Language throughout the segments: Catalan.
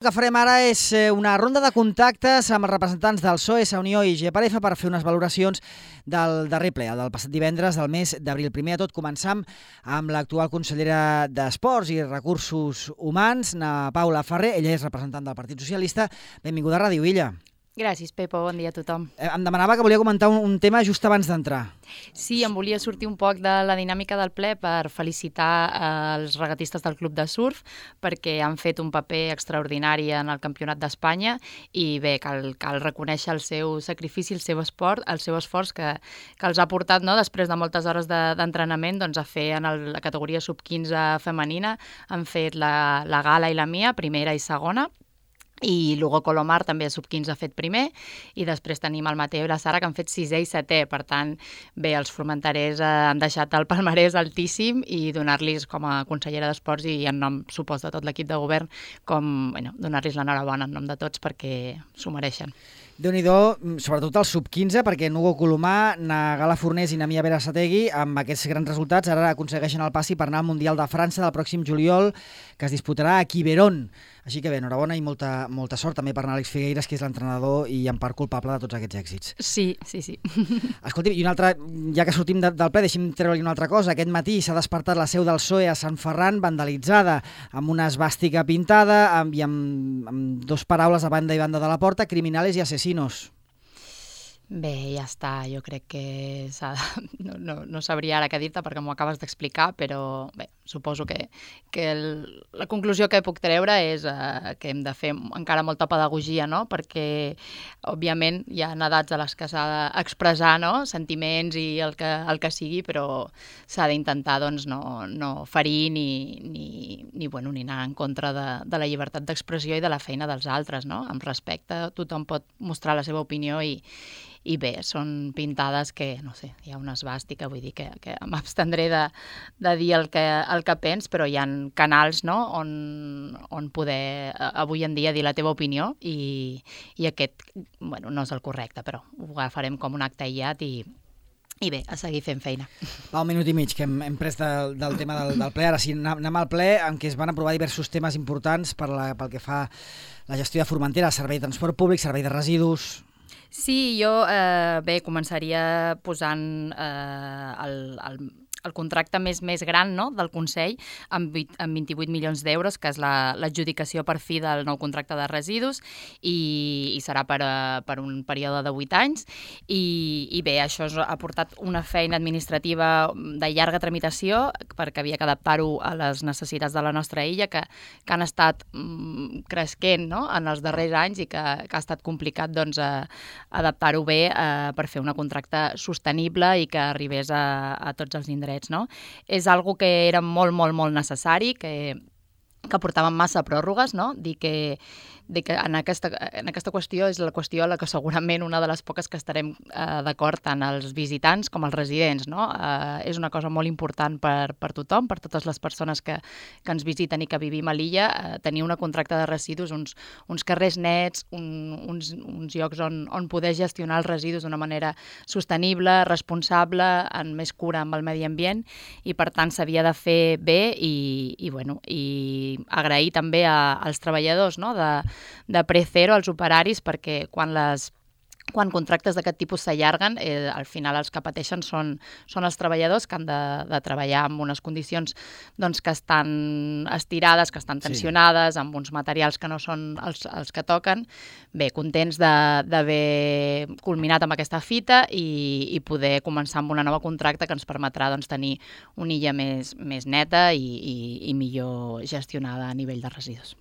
El que farem ara és una ronda de contactes amb els representants del PSOE, Unió i GPRF per fer unes valoracions del darrer ple, del passat divendres del mes d'abril. Primer de tot, començam amb l'actual consellera d'Esports i Recursos Humans, na Paula Ferrer. Ella és representant del Partit Socialista. Benvinguda a Ràdio Illa. Gràcies, Pepo. Bon dia a tothom. Em demanava que volia comentar un tema just abans d'entrar. Sí, em volia sortir un poc de la dinàmica del ple per felicitar els regatistes del Club de Surf perquè han fet un paper extraordinari en el Campionat d'Espanya i bé, cal reconèixer el seu sacrifici, el seu esforç que els ha portat, no, després de moltes hores d'entrenament a fer en la categoria sub-15 femenina. Han fet la gala i la mia, primera i segona, i l'Hugo Colomar també a sub-15 ha fet primer, i després tenim el Mateo i la Sara que han fet sisè i setè. Per tant, bé, els formenterers han deixat el palmarès altíssim i donar-los com a consellera d'Esports i en nom, supos, de tot l'equip de govern, donar-los l'enhorabona en nom de tots perquè s'ho mereixen. Déu-n'hi-do, sobretot el sub-15, perquè Hugo Colomar, na Gala Fornés i na Mia Berasategui, amb aquests grans resultats, ara aconsegueixen el passi per anar al Mundial de França del pròxim juliol, que es disputarà a Quiberon. Així que bé, enhorabona i molta sort també per Àlex Figueiras, que és l'entrenador i en part culpable de tots aquests èxits. Sí. Escolti, i una altra, ja que sortim del ple, deixi'm treure-li una altra cosa. Aquest matí s'ha despertat la seu del PSOE a Sant Ferran, vandalitzada, amb una esvàstica pintada i amb dos paraules a banda i banda de la porta: criminales i asesinos. Bé, ja està, jo crec que no sabria ara què dir-te perquè m'ho acabes d'explicar, però bé, suposo que la conclusió que puc treure és que hem de fer encara molta pedagogia, no? Perquè, òbviament, hi ha edats a les que s'ha d'expressar, no? Sentiments i el que sigui, però s'ha d'intentar no ferir ni anar en contra de la llibertat d'expressió i de la feina dels altres, no? Amb respecte, tothom pot mostrar la seva opinió i bé, són pintades que, no sé, hi ha una esvàstica, vull dir que m'abstendré de dir el que pens, però hi ha canals, no?, on poder avui en dia dir la teva opinió i aquest, no és el correcte, però ho agafarem com un acte aïllat i bé, a seguir fent feina. Va, un minut i mig que hem pres del tema del ple. Ara sí, anem al ple en què es van aprovar diversos temes importants pel que fa a la gestió de Formentera, servei de transport públic, servei de residus. Sí, jo començaria posant el contracte més gran, no?, del Consell amb 28 milions d'euros, que és l'adjudicació per fi del nou contracte de residus i serà per un període de 8 anys i bé, això ha portat una feina administrativa de llarga tramitació perquè havia que adaptar-ho a les necessitats de la nostra illa que han estat cresquent, no?, en els darrers anys i que ha estat complicat adaptar-ho bé per fer un contracte sostenible i que arribés a tots els indrets. No? És algo que era molt necessari, que portaven massa pròrrogues, no? Dir que en aquesta qüestió és la qüestió a la que segurament una de les poques que estarem d'acord tant els visitants com els residents, no? És una cosa molt important per tothom, per totes les persones que ens visiten i que vivim a l'illa, tenir un contracte de residus, uns carrers nets, uns llocs on poder gestionar els residus d'una manera sostenible, responsable, amb més cura amb el medi ambient, i per tant s'havia de fer bé i agrair també als treballadors, no?, de Precero, als operaris, perquè quan contractes d'aquest tipus s'allarguen, al final els que pateixen són els treballadors que han de treballar en unes condicions que estan estirades, que estan tensionades, amb uns materials que no són els que toquen. Bé, contents d'haver culminat amb aquesta fita i poder començar amb una nova contracte que ens permetrà tenir una illa més neta i millor gestionada a nivell de residus.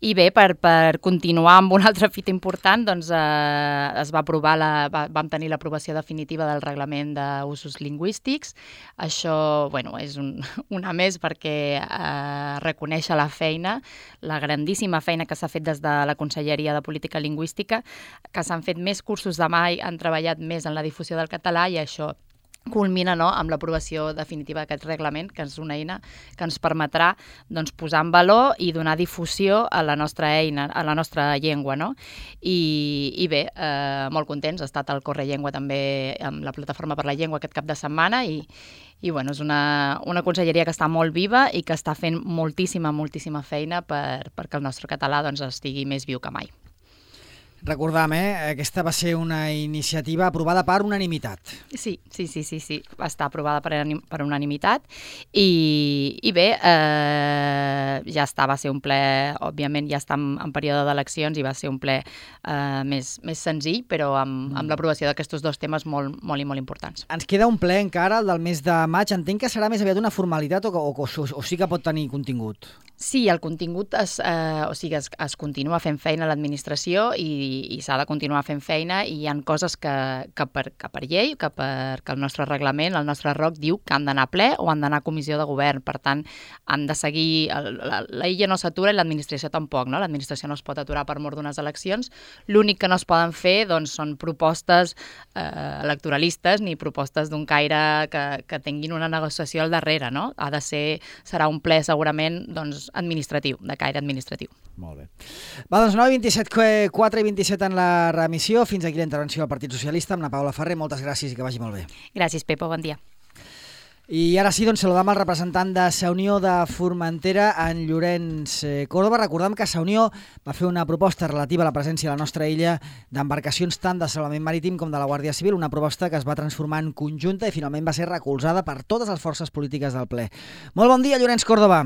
I bé, per continuar amb una altra fita important, es va aprovar vam tenir l'aprovació definitiva del reglament d'usos lingüístics. Això, és una més perquè reconèixer la feina, la grandíssima feina que s'ha fet des de la Conselleria de Política Lingüística, que s'han fet més cursos de mai, han treballat més en la difusió del català i això culmina, no?, amb l'aprovació definitiva d'aquest reglament, que és una eina que ens permetrà, doncs, posar en valor i donar difusió a la nostra eina, a la nostra llengua, no? I bé, molt contents, ha estat el Correllengua també amb la Plataforma per la Llengua aquest cap de setmana i bueno, és una conselleria que està molt viva i que està fent moltíssima feina perquè el nostre català, doncs, estigui més viu que mai. Recordam, aquesta va ser una iniciativa aprovada per unanimitat. Sí, va estar aprovada per unanimitat i bé, ja està, va ser un ple, òbviament ja està en període d'eleccions i va ser un ple més senzill, però amb l'aprovació d'aquests dos temes molt importants. Ens queda un ple encara, el del mes de maig. Entenc que serà més aviat una formalitat o sí que pot tenir contingut? Sí, el contingut es continua fent feina a l'administració i s'ha de continuar fent feina i hi ha coses que per llei, que el nostre reglament, el nostre ROC diu que han d'anar a ple o han d'anar a comissió de govern. Per tant, han de seguir... La illa no s'atura i l'administració tampoc, no? L'administració no es pot aturar per mort d'unes eleccions. L'únic que no es poden fer, doncs, són propostes electoralistes ni propostes d'un caire que tinguin una negociació al darrere, no? Serà un ple segurament, doncs, administratiu, de caire administratiu. Molt bé. Va, doncs 9:27, 4:27 en la remissió. Fins aquí la intervenció del Partit Socialista amb la Paula Ferrer. Moltes gràcies i que vagi molt bé. Gràcies, Pepo. Bon dia. I ara sí, doncs saludam el representant de Sa Unió de Formentera, en Llorenç Córdoba. Recordem que Sa Unió va fer una proposta relativa a la presència a la nostra illa d'embarcacions tant de salvament marítim com de la Guàrdia Civil, una proposta que es va transformar en conjunta i finalment va ser recolzada per totes les forces polítiques del ple. Molt bon dia, Llorenç Córdoba.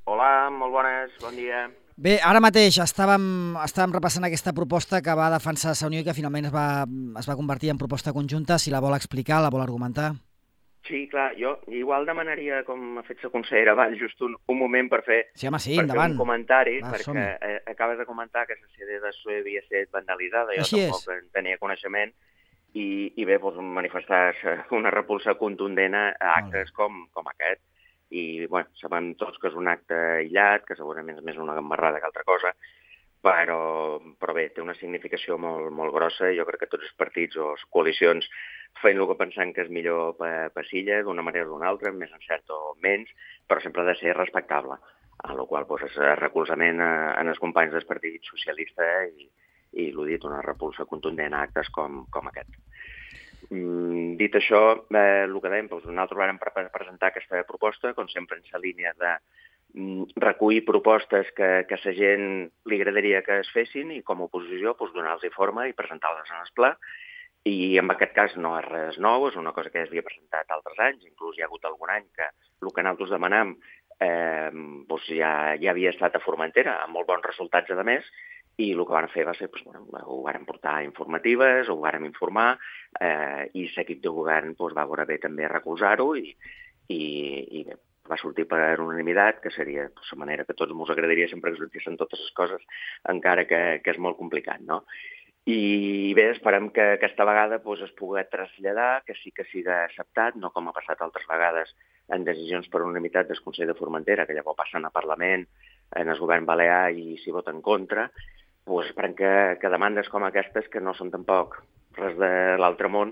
Hola, molt bones, bon dia. Bé, ara mateix estàvem repassant aquesta proposta que va defensar Sa Unió i que finalment es va convertir en proposta conjunta. Si la vol explicar, la vol argumentar? Sí, clar, jo igual demanaria, com ha fet la consellera Vall, just un moment per fer, endavant. Un comentari, perquè acabes de comentar que la sede de SUE havia estat vandalitzada, jo tampoc en tenia coneixement, i bé, doncs, manifestar una repulsa contundent a actes com aquest. I, bueno, sabem tots que és un acte aïllat, que segurament és més una gambarrada que altra cosa, però bé, té una significació molt grossa i jo crec que tots els partits o les coalicions feien el que pensant que és millor per l'illa, d'una manera o d'una altra, més encert o menys, però sempre ha de ser respectable, en la qual cosa és recolzament en els companys del Partit Socialista i l'ho dit, una repulsa contundent a actes com aquest. Dit això, el que dèiem, nosaltres vam presentar aquesta proposta, com sempre en la línia de recollir propostes que a la gent li agradaria que es fessin i com a oposició donar-los forma i presentar-les en el pla. I en aquest cas no és res nou, és una cosa que ja s'havia presentat altres anys, inclús hi ha hagut algun any que el que nosaltres demanam ja havia estat a Formentera, amb molt bons resultats a més, i el que van fer va ser, ho varen portar a informatives, ho varen informar, i l'equip de govern va veure bé també recolzar-ho i bé, va sortir per unanimitat, que seria la manera que tots ens agradaria sempre que sortissin totes les coses, encara que és molt complicat, no? I bé, esperem que aquesta vegada es pugui traslladar, que sí que sigui acceptat, no com ha passat altres vegades en decisions per unanimitat del Consell de Formentera, que llavors passen a Parlament, en el govern balear i s'hi vota en contra. Esperem que demandes com aquestes, que no són tampoc res de l'altre món,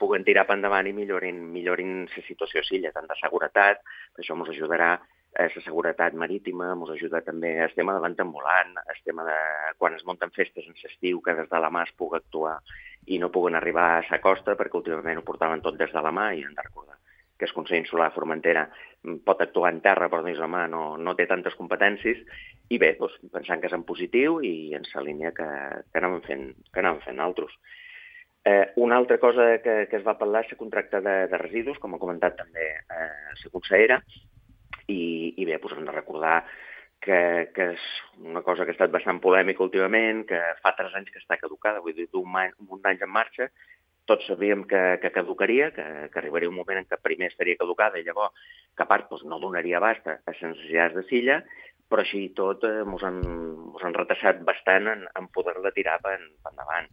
puguen tirar per endavant i millorin la situació a l'illa, tant de seguretat, això ens ajudarà la seguretat marítima, ens ajuda també el tema de l'entambulant, el tema de quan es munten festes en l'estiu, que des de la mà es pugui actuar i no puguen arribar a la costa, perquè últimament ho portaven tot des de la mà i hem de recordar que el Consell Insular de Formentera pot actuar en terra, però dins la mà no té tantes competències, i bé, pensant que és en positiu i en la línia que anàvem fent nosaltres. Una altra cosa que es va parlar és el contracte de residus, com ha comentat també la consellera, i bé, hem de recordar que és una cosa que ha estat bastant polèmica últimament, que fa 3 anys que està caducada, vull dir, d'un anys en marxa. Tots sabíem que caducaria, que arribaria un moment en què primer estaria caducada i llavors que a part no donaria abast a les necessitats de l'illa, però així i tot ens han retrasat bastant en poder-la tirar per endavant.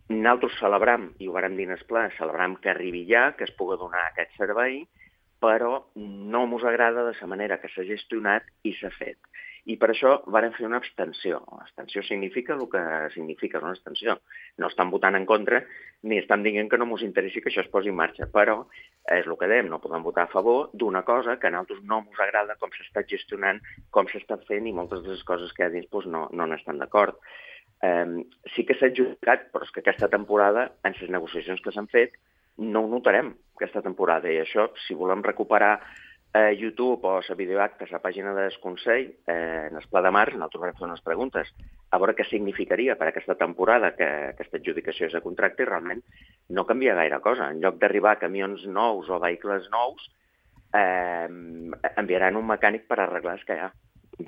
Nosaltres celebram, i ho vàrem dir en el pla, celebram que arribi ja, que es pugui donar aquest servei, però no ens agrada de la manera que s'ha gestionat i s'ha fet. I per això varen fer una abstenció. L'abstenció significa el que significa una abstenció. No estan votant en contra ni estan dient que no ens interessi que això es posi en marxa, però és el que dèiem, no podem votar a favor d'una cosa que a nosaltres no ens agrada com s'està gestionant, com s'està fent i moltes de les coses que hi ha dins no n'estan d'acord. Sí que s'ha adjudicat, però és que aquesta temporada, en les negociacions que s'han fet, no ho notarem, aquesta temporada. I això, si volem recuperar YouTube o la videoacta a la pàgina del Consell, en el Pla de Març, nosaltres vam fer unes preguntes a veure què significaria per aquesta temporada que aquesta adjudicació és de contracte i realment no canvia gaire cosa. En lloc d'arribar camions nous o vehicles nous, enviaran un mecànic per arreglar els que hi ha.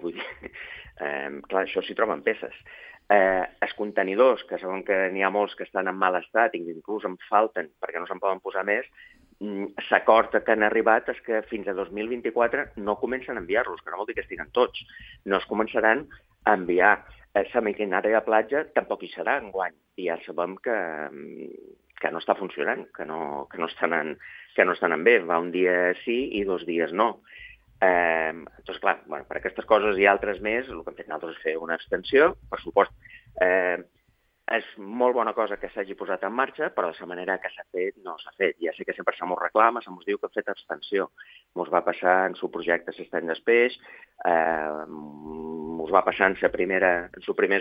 Vull dir, clar, això s'hi troben peces. Els contenidors, que saben que n'hi ha molts que estan en mal estat, inclús en falten perquè no se'n poden posar més, l'acord que han arribat és que fins a 2024 no comencen a enviar-los, que no vol dir que estiguen tots. No es començaran a enviar. La maquinària de platja tampoc hi serà enguany. I ja sabem que no està funcionant, que no estan bé. Va un dia sí i 2 dies no. Doncs clar, per aquestes coses i altres més, el que hem fet nosaltres és fer una abstenció, per supost. És molt bona cosa que s'hagi posat en marxa, però de la manera que s'ha fet no s'ha fet. Ja sé que sempre se m'ho reclama, se m'ho diu que hem fet abstenció. Ens va passar en el projecte s'estany després, ens va passar en el primer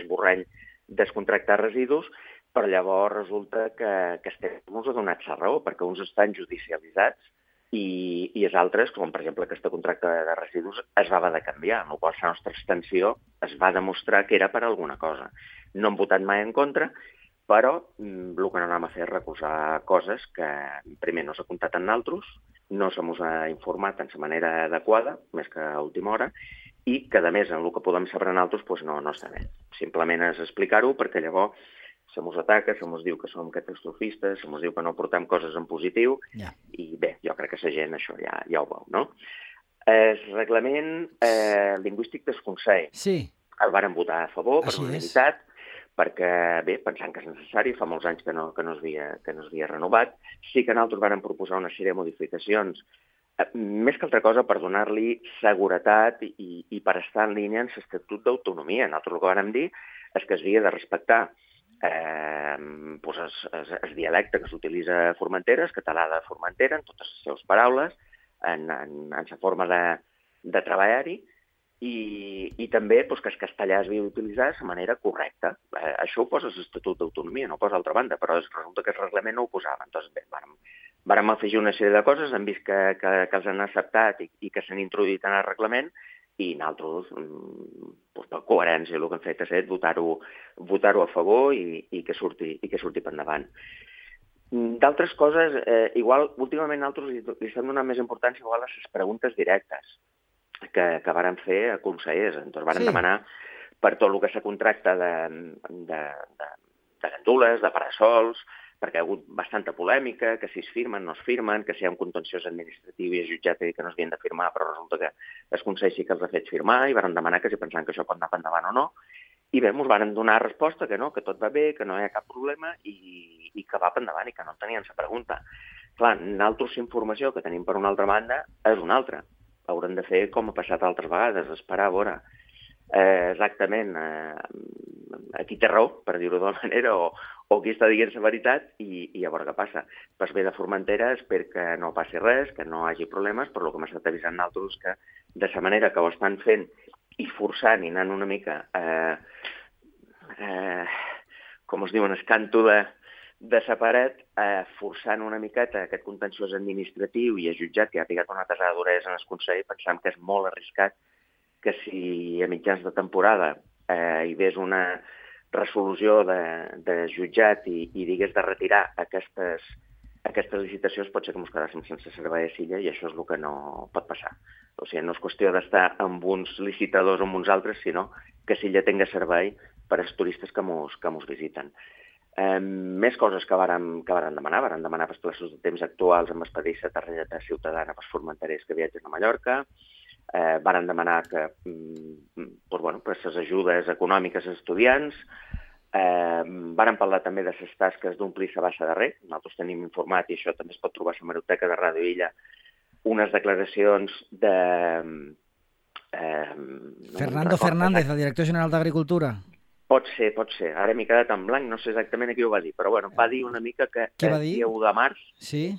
esborrany descontractar residus, però llavors resulta que ens ha donat la raó, perquè uns estan judicialitzats i els altres, com per exemple aquest contracte de residus, es va haver de canviar, amb la qual la nostra abstenció es va demostrar que era per alguna cosa. No hem votat mai en contra, però el que no anem a fer és recolzar coses que primer no s'ha comptat amb nosaltres, no se mos ha informat en la manera adequada, més que a última hora, i que, a més, en el que podem saber nosaltres no està bé. Simplement és explicar-ho perquè llavors se mos ataca, se mos diu que som catastrofistes, se mos diu que no portem coses en positiu, i bé, jo crec que la gent això ja ho veu, no? El reglament lingüístic del Consell el varen votar a favor per unanimitat, perquè, bé, pensant que és necessari, fa molts anys que no es havia renovat. Sí que nosaltres varen proposar una sèrie de modificacions, més que altra cosa per donar-li seguretat i per estar en línia amb l'Estatut d'Autonomia. Nosaltres el que vàrem dir és que s'havia de respectar el dialecte que s'utilitza a Formentera, el català de Formentera, en totes les seves paraules, en la forma de treballar-hi, i també que el castellà es havia d'utilitzar de manera correcta. Això ho posa l'Estatut d'Autonomia, no ho posa d'altra banda, però resulta que el reglament no ho posava. Doncs bé, vàrem afegir una sèrie de coses, hem vist que els han acceptat i que s'han introduït en el reglament, i nosaltres, per coherència, el que hem fet és votar-ho a favor i que surti per endavant. D'altres coses, igual, últimament nosaltres li estem donant més importància igual a les preguntes directes que varen fer a consellers. Doncs varen demanar per tot el que s'ha contracta de gandules, de parasols, perquè hi ha hagut bastanta polèmica, que si es firmen, no es firmen, que si hi ha un contenciós administratiu i el jutjat ha dit que no s'havien de firmar, però resulta que el Consell sí que els ha fet firmar i varen demanar que si pensaven que això pot anar endavant o no. I bé, ens varen donar resposta que no, que tot va bé, que no hi ha cap problema i que va endavant i que no tenien la pregunta. Clar, nosaltres la informació que tenim per una altra banda és una altra. Haurem de fer com ha passat altres vegades, esperar a veure exactament a qui té raó, per dir-ho d'una manera, o qui està dient la veritat i a veure què passa. Per bé de Formentera espero que no passi res, que no hi hagi problemes, però el que m'ha estat avisant nosaltres és que de la manera que ho estan fent i forçant i anant una mica com es diu, en el canto de la paret, forçant una miqueta aquest contenciós administratiu i el jutjat que ha picat una tasada d'orelles en el Consell, pensam que és molt arriscat que si a mitjans de temporada hi hagués una resolució de jutjat i digués de retirar aquestes licitacions, pot ser que ens quedàssim sense servei a Silla i això és el que no pot passar. O sigui, no és qüestió d'estar amb uns licitadors o amb uns altres, sinó que Silla tingui servei per als turistes que ens visiten. Més coses que varen demanar. Varen demanar pels plaços de temps actuals amb expedir-se targeta ciutadana pels formenterers que viatgen a Mallorca. Varen demanar que per les ajudes econòmiques als estudiants. Varen parlar també de les tasques d'omplir la bassa de rec. Nosaltres tenim informat, i això també es pot trobar a l'hemeroteca de Ràdio Illa, unes declaracions de Fernando Fernández, el director general d'Agricultura. Pot ser. Ara m'he quedat en blanc, no sé exactament a qui ho va dir, però bueno, va dir una mica que el dia 1 de març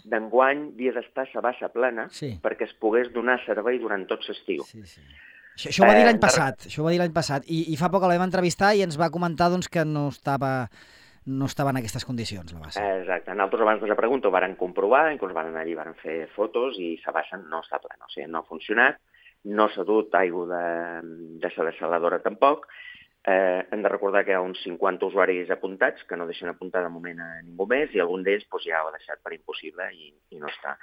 d'enguany havia d'estar a bassa plena perquè es pogués donar servei durant tot l'estiu. Això ho va dir l'any passat, i fa poc la vam entrevistar i ens va comentar que no estava en aquestes condicions, la bassa. Exacte. Nosaltres abans de la pregunta ho varen comprovar, inclús van anar allí, varen fer fotos i la bassa no està plena, o sigui, no ha funcionat, no s'ha dut aigua de la dessaladora tampoc. Hem de recordar que hi ha uns 50 usuaris apuntats, que no deixen apuntar de moment a ningú més, i algun d'ells ja ho ha deixat per impossible i no està.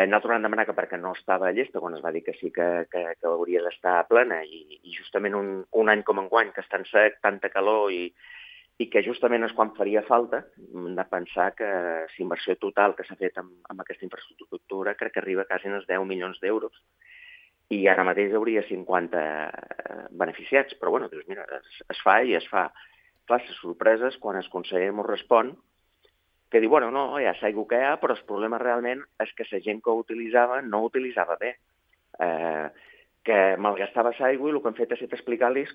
Nosaltres vam demanar que perquè no estava llesta, quan es va dir que sí que hauria d'estar plena, i justament un any com enguany, que és tan sec, tanta calor, i que justament és quan faria falta, hem de pensar que la inversió total que s'ha fet amb aquesta infraestructura crec que arriba quasi als 10 milions d'euros. I ara mateix hi hauria 50 beneficiats, però bueno, dius, mira, es fa i es fa. Clar, les sorpreses, quan el conseller m'ho respon, que diu, bueno, no, ja s'aigua que hi ha, però el problema realment és que la gent que ho utilitzava no ho utilitzava bé, que malgastava l'aigua i el que hem fet ha estat explicar-los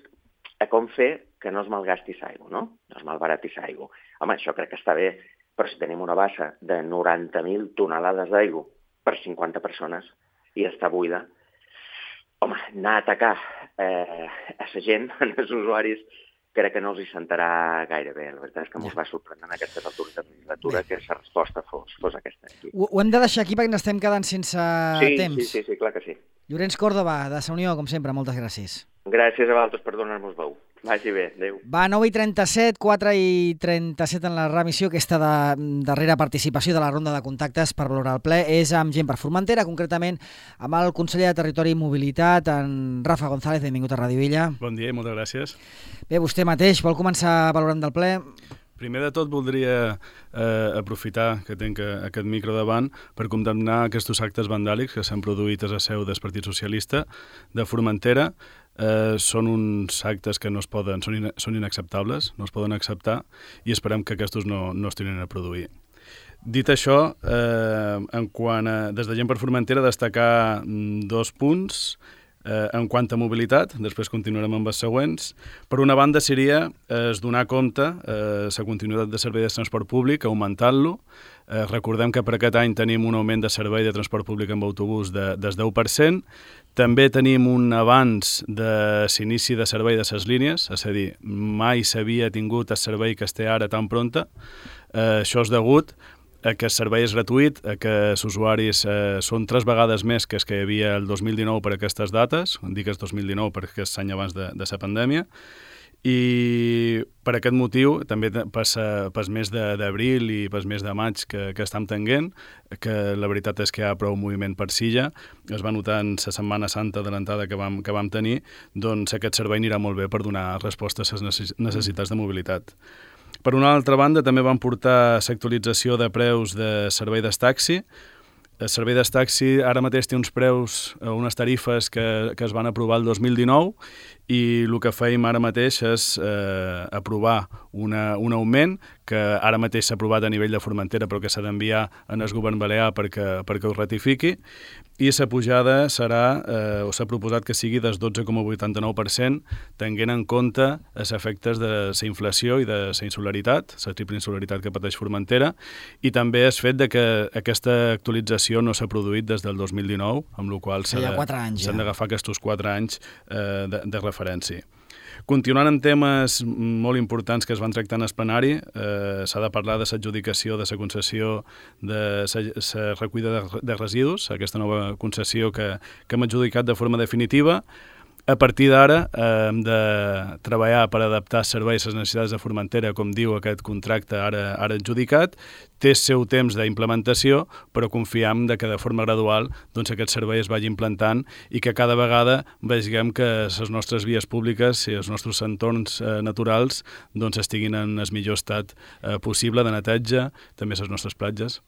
com fer que no es malgasti l'aigua, no? No es malbarati l'aigua. Home, això crec que està bé, però si tenim una bassa de 90.000 tonelades d'aigua per 50 persones i està buida, home, anar a atacar a la gent, als usuaris, crec que no els hi sentarà gaire bé. La veritat és que ens va sorprendre en aquestes altures de legislatura que la resposta fos aquesta. Ho hem de deixar aquí perquè n'estem quedant sense temps. Sí, clar que sí. Llorenç Còrdova, de Sa Unió, com sempre, moltes gràcies. Gràcies a vosaltres per donar-nos veu. Vagi bé, adéu. Va, 9:37, 4:37 en la remissió. Aquesta darrera participació de la ronda de contactes per valorar el ple és amb gent per Formentera, concretament amb el conseller de Territori i Mobilitat, en Rafa González. Benvingut a Ràdio Illa. Bon dia i moltes gràcies. Bé, vostè mateix vol començar valorant del ple? Primer de tot voldria aprofitar que tinc aquest micro davant per condemnar aquests actes vandàlics que s'han produït a la seu del Partit Socialista de Formentera. Són uns actes que no es poden, són inacceptables, no es poden acceptar i esperem que aquests no es tornin a produir. Dit això, des de Gent per Formentera destacar 2 punts. En quant a mobilitat, després continuarem amb els següents. Per una banda seria donar compte la continuïtat de servei de transport públic, augmentant-lo. Recordem que per aquest any tenim un augment de servei de transport públic amb autobús del 10%. També tenim un avanç de l'inici de servei de les línies, és a dir, mai s'havia tingut el servei que es té ara tan pronta. Això és degut a que el servei és gratuït, a que els usuaris són 3 vegades més que els que hi havia el 2019 per aquestes dates, dic el 2019 perquè és l'any abans de la pandèmia, i per aquest motiu, també pel mes d'abril i pel mes de maig que estem tenint, que la veritat és que hi ha prou moviment per Silla, es va notar en la Setmana Santa adelantada que vam tenir, doncs aquest servei anirà molt bé per donar resposta a les necessitats de mobilitat. Per una altra banda, també van portar l'actualització de preus de servei del taxi. El servei del taxi ara mateix té uns preus, unes tarifes que es van aprovar el 2019 i el que fèiem ara mateix és aprovar un augment que ara mateix s'ha aprovat a nivell de Formentera però que s'ha d'enviar al govern balear perquè ho ratifiqui, i la pujada serà, o s'ha proposat que sigui del 12,89%, tenint en compte els efectes de la inflació i de la insolaritat, la triple insolaritat que pateix Formentera, i també el fet de que aquesta actualització no s'ha produït des del 2019, amb la qual cosa s'han d'agafar aquests 4 anys de referència. Continuant amb temes molt importants que es van tractar en el plenari, s'ha de parlar de l'adjudicació de la concessió de la recollida de residus, aquesta nova concessió que hem adjudicat de forma definitiva. A partir d'ara hem de treballar per adaptar els serveis a les necessitats de Formentera, com diu aquest contracte ara adjudicat. Té el seu temps d'implementació, però confiem que de forma gradual aquest servei es vagi implantant i que cada vegada vegem que les nostres vies públiques i els nostres entorns naturals estiguin en el millor estat possible de neteja, també les nostres platges.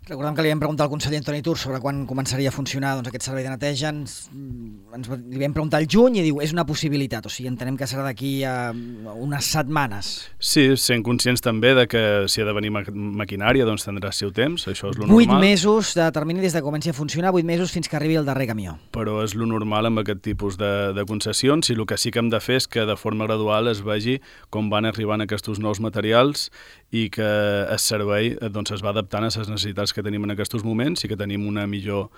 Recordem que li vam preguntar al conseller Antoni Tur sobre quan començaria a funcionar aquest servei de neteja. Li vam preguntar al juny i diu és una possibilitat, o sigui, entenem que serà d'aquí a unes setmanes. Sí, sent conscients també de que si ha de venir maquinària doncs tindrà el seu temps, això és lo normal. 8 mesos de termini des que comenci a funcionar, 8 mesos fins que arribi el darrer camió. Però és lo normal amb aquest tipus de concessions i el que sí que hem de fer és que de forma gradual es vegi com van arribant aquests nous materials i que el servei doncs, es va adaptant a les necessitats que tenim en aquests moments i que tenim un millor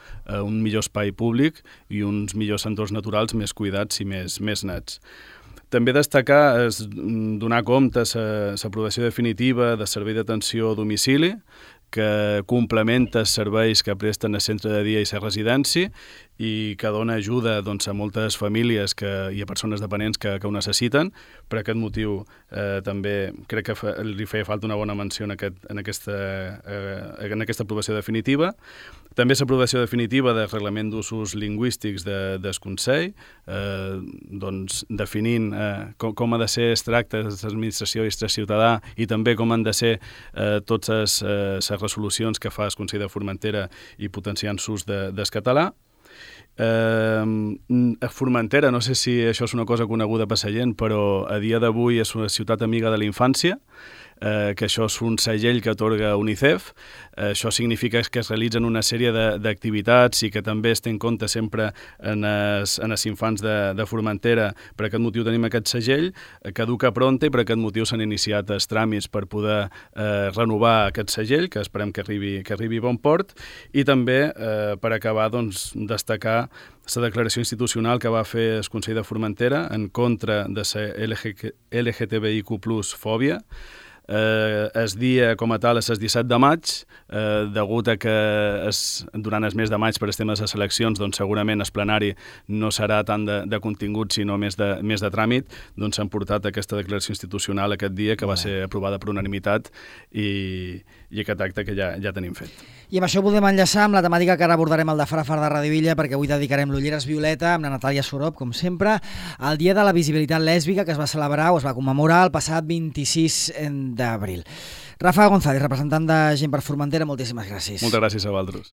espai públic i uns millors entorns naturals més cuidats i més nets. També destacar és donar compte a l'aprovació definitiva del servei d'atenció a domicili, que complementa els serveis que presten el centre de dia i la residència i que dona ajuda a moltes famílies i a persones dependents que ho necessiten. Per aquest motiu també crec que li feia falta una bona menció en aquesta aprovació definitiva. També l'aprovació definitiva del reglament d'usos lingüístics del Consell, definint com ha de ser el tracte de l'administració i el ciutadà i també com han de ser totes les resolucions que fa el Consell de Formentera i potenciant l'ús del català. A Formentera, no sé si això és una cosa coneguda per la gent, però a dia d'avui és una ciutat amiga de la infància, que això és un segell que atorga UNICEF. Això significa que es realitzen una sèrie d'activitats i que també es té en compte sempre en els infants de Formentera. Per aquest motiu tenim aquest segell, caduca pronta i per aquest motiu s'han iniciat els tràmits per poder renovar aquest segell, que esperem que arribi a bon port, i també per acabar destacar la declaració institucional que va fer el Consell de Formentera en contra de la LGTBIQ+ fòbia. El dia com a tal és el 17 de maig, degut a que durant el mes de maig per els temes de seleccions segurament el plenari no serà tant de contingut sinó més de tràmit, s'han portat aquesta declaració institucional aquest dia que va ser aprovada per unanimitat i aquest acte que ja tenim fet. I amb això volem enllaçar amb la temàtica que ara abordarem al de Farafar de Ràdio Illa, perquè avui dedicarem l'Ulleres Violeta amb la Natàlia Sorop, com sempre, al Dia de la Visibilitat Lèsbica que es va celebrar o es va commemorar el passat 26 d'abril. Rafa González, representant de Gent per Formentera, moltíssimes gràcies. Moltes gràcies a vosaltres.